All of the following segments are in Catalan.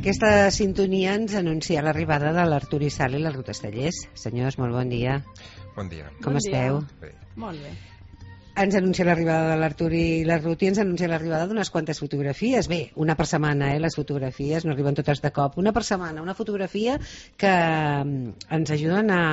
Aquesta sintonia ens anuncia l'arribada de l'Artur Isal i la Ruth Estellers. Senyors, molt bon dia. Bon dia. Com esteu? Bé. Molt bé. Ens anuncia l'arribada de l'Artur i la Ruth i ens anuncia l'arribada d'unes quantes fotografies. Bé, una per setmana, les fotografies, no arriben totes de cop. Una per setmana, una fotografia que ens ajuden a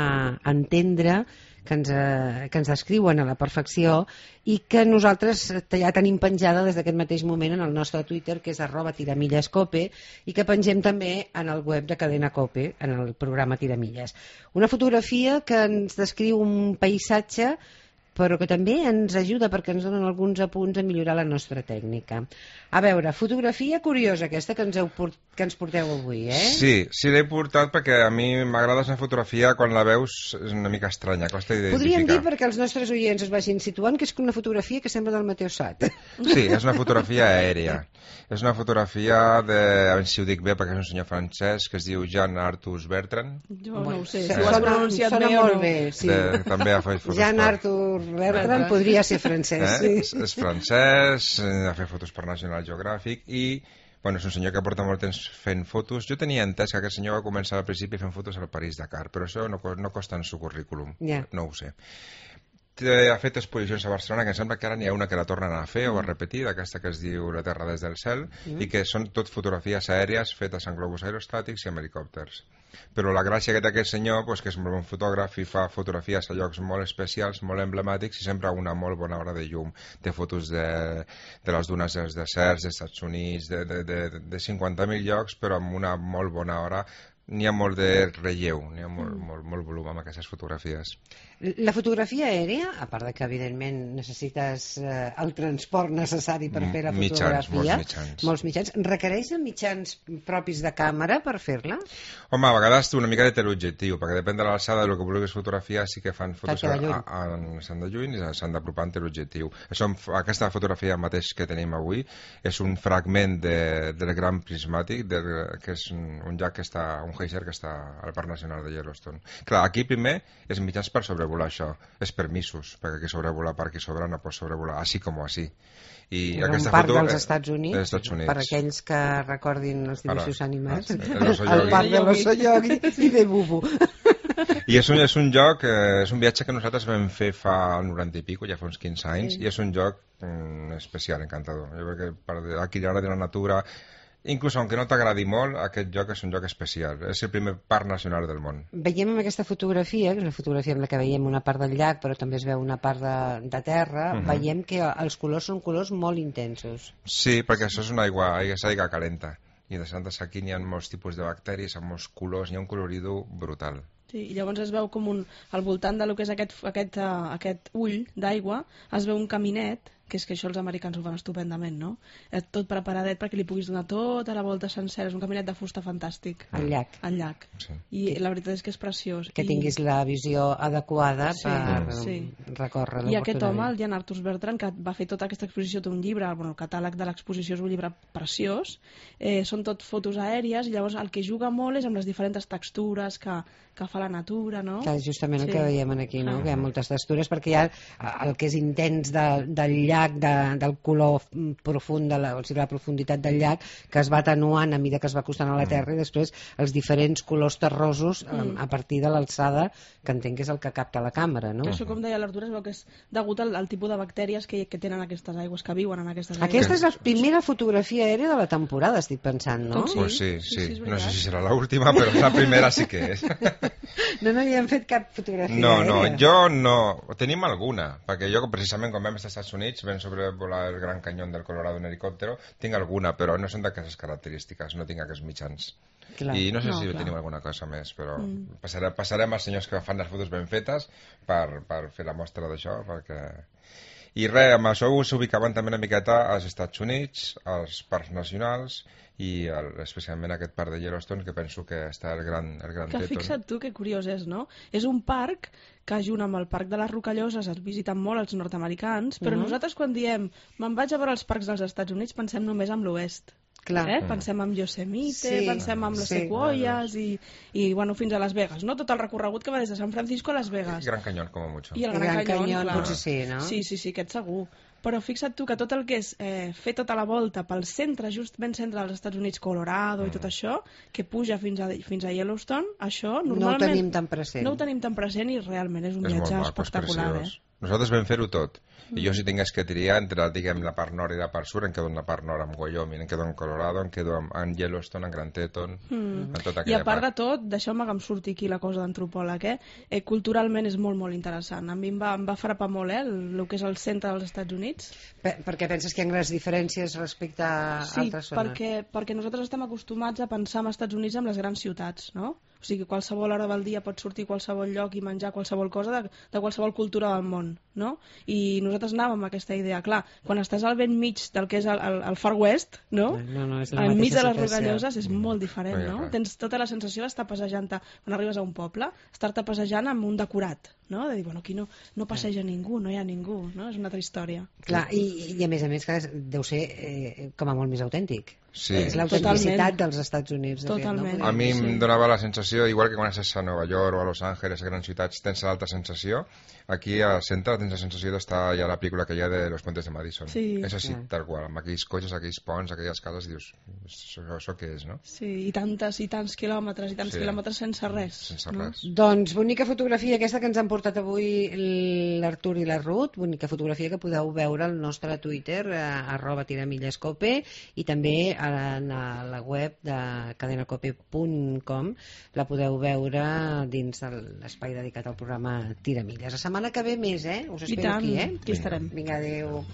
entendre, que ens descriuen a la perfecció i que nosaltres ja tenim penjada des d'aquest mateix moment en el nostre Twitter, que és @tiramillescope, i que pengem també en el web de Cadena Cope, en el programa Tiramilles. Una fotografia que ens descriu un paisatge però que també ens ajuda perquè ens donen alguns apunts a millorar la nostra tècnica. A veure, fotografia curiosa aquesta que ens porteu avui, eh? Sí, l'he portat perquè a mi m'agrada una fotografia, quan la veus és una mica estranya, costa d'identificar. Podríem dir, perquè els nostres oients es vagin situant, que és una fotografia que sembla del Mateu Sat. Sí, és una fotografia aèria. És una fotografia de, a veure si ho dic bé, perquè és un senyor francès que es diu Jean Arthur Bertrand. Jo no ho sé, si Sona- ho has pronunciat sona bé o molt no. bé, sí. També ha fet fotos. Jean Arthur Bertrand podria ser francès, sí. És francès, ha fet fotos per National Geographic i bueno, és un senyor que porta molt temps fent fotos. Jo tenia entès que aquest senyor va començar al principi fent fotos al París-Dakar, però això no costa en su currículum, no ho sé. Ha fet exposicions a Barcelona, que em sembla que ara n'hi ha una que la tornen a fer o a repetir, d'aquesta que es diu La Terra des del cel, i que són tot fotografies aèries fetes en globus aerostàtics i amb helicòpters. Però la gràcia que té aquest senyor, que és molt bon fotògraf i fa fotografies a llocs molt especials, molt emblemàtics i sempre a una molt bona hora de llum. Té fotos de les dunes dels deserts, dels Estats Units, de 50.000 llocs, però amb una molt bona hora. N'hi ha molt de relleu, n'hi ha molt volum amb aquestes fotografies. La fotografia aèria, a part de que evidentment necessites el transport necessari per fer la fotografia, molts mitjans, requereix de mitjans propis de càmera per fer-la? Home, a vegades una mica de teleobjectiu, perquè depèn de l'alçada del que vulguis fotografiar, sí que fan fotos s'han de lluny i s'han d'apropar en teleobjectiu. Aquesta fotografia mateix que tenim avui és un fragment del Gran Prismàtic, que és un llac que està, un geyser que està al Parc Nacional de Yellowstone. Clar, aquí primer és mitjans per sobrevolar això, és permisos, perquè qui sobrevola per qui sobra no pot sobrevolar, així com així. I un parc dels Estats Units, per aquells que recordin els dibuixos animats, el parc de l'Osoyogi i de Bubu. I és un lloc, és un viatge que nosaltres vam fer fa 90 i pico, ja fa uns 15 anys, i és un lloc especial, encantador. Jo crec que per adquirir de la natura, inclús aunque no t'agradi molt, aquest lloc és un lloc especial. És el primer parc nacional del món. Veiem en aquesta fotografia, que és una fotografia en la que veiem una part del llac, però també es veu una part de terra, veiem que els colors són colors molt intensos. Sí, perquè això és una aigua calenta. I de Santes aquí n'hi ha molts tipus de bacteris, amb molts colors, hi ha un coloridor brutal. Sí, i llavors es veu com al voltant del que és aquest ull d'aigua, es veu un caminet, que és que això els americans ho fan estupendament, no? Tot preparadet perquè li puguis donar tota la volta sencera. És un caminet de fusta fantàstic. Al llac. Al llac. Sí. I la veritat és que és preciós. Que tinguis la visió adequada per recórrer. I aquest home, el Jean Arthur Bertrand, que va fer tota aquesta exposició, té un llibre, el catàleg de l'exposició és un llibre preciós, són tot fotos aèries, i llavors el que juga molt és amb les diferents textures que fa la natura, no? Que és justament el que veiem aquí, no? Que hi ha moltes textures, perquè hi ha el que és intens del llac, del color profund, o sigui, la profunditat del llac, que es va atenuant a mesura que es va acostant a la terra, i després els diferents colors terrosos a partir de l'alçada, que entenc que és el que capta la càmera, no? Això, com deia l'Artur, es veu que és degut al tipus de bactèries que tenen aquestes aigües, que viuen en aquestes aigües. Aquesta és la primera fotografia aèria de la temporada, estic pensant, no? Pues sí. No sé si serà l'última, però la primera sí que és. No hi hem fet cap fotografia aèria. Jo no. Tenim alguna, perquè jo precisament quan vam estar als Estats Units vam sobrevolar el Gran Canyón del Colorado en helicòptero, tinc alguna, però no són d'aquestes característiques, no tinc aquests mitjans. I no sé si tenim alguna cosa més, però passarem als senyors que fan les fotos ben fetes per fer la mostra d'això, perquè... I res, amb això us ubicaven també una miqueta als Estats Units, als parcs nacionals i especialment aquest parc de Yellowstone, que penso que està el gran Que fixa't tu, que curiós és, no? És un parc que junt amb el parc de les Rocalloses es visiten molt els nord-americans, però nosaltres quan diem me'n vaig a veure els parcs dels Estats Units pensem només en l'oest. Pensem en Yosemite, pensem en les sequoias i bueno, fins a Las Vegas, no? Tot el recorregut que va des de San Francisco a Las Vegas. Gran Canyón, com a mucho. I el Gran Canyón, clar. Potser sí, no? Sí, aquest segur. Però fixa't tu que tot el que és fer tota la volta pel centre, just ben centre dels Estats Units, Colorado i tot això, que puja fins a Yellowstone, això normalment... No ho tenim tan present. No ho tenim tan present i realment és un viatge espectacular. Nosaltres vam fer-ho tot. I jo si tingués que triar entre, diguem, la part nord i la part sud, em quedo en la part nord amb Wyoming, em quedo en Colorado, em quedo en Yellowstone, en Grand Teton, en tota aquella part. I a part de tot, deixeu-me que em surti aquí la cosa d'antropòleg, culturalment és molt, molt interessant. A mi em va frapar molt, el que és el centre dels Estats Units. Perquè penses que hi ha grans diferències respecte a altres zones? Sí, perquè nosaltres estem acostumats a pensar en Estats Units amb les grans ciutats, no? O sigui, qualsevol hora del dia pot sortir a qualsevol lloc i menjar qualsevol cosa de qualsevol cultura del món, no? I nosaltres anàvem amb aquesta idea. Clar, quan estàs al ben mig del que és el Far West, no? Enmig de les Rocalloses és molt diferent, no? Tens tota la sensació d'estar passejant-te, quan arribes a un poble, estar-te passejant amb un decorat, no? De dir, bueno, aquí no passeja ningú, no hi ha ningú, no? És una altra història. Clar, i a més, deu ser com a molt més autèntic. Sí. És l'autenticitat dels Estats Units. Totalment. A mi em donava la sensació, igual que quan estàs a Nova York o a Los Angeles, a grans ciutats, tens l'altra sensació. Aquí al centre tens la sensació d'estar ja a la pel·lícula que hi ha de Los Puentes de Madison. Sí. És així, tal qual, amb aquells cotxes, aquells ponts, aquelles cases, dius, això què és, no? Sí, i tants quilòmetres, i tants quilòmetres sense res. Sense res. Doncs bonica fotografia aquesta que ens han portat avui l'Artur i la Ruth, bonica fotografia que podeu veure al nostre Twitter, @tiramillescope, i també en la web de cadenacope.com la podeu veure dins de l'espai dedicat al programa Tiramilles. La setmana que ve més, us espero aquí, Aquí estarem. Vinga, adéu.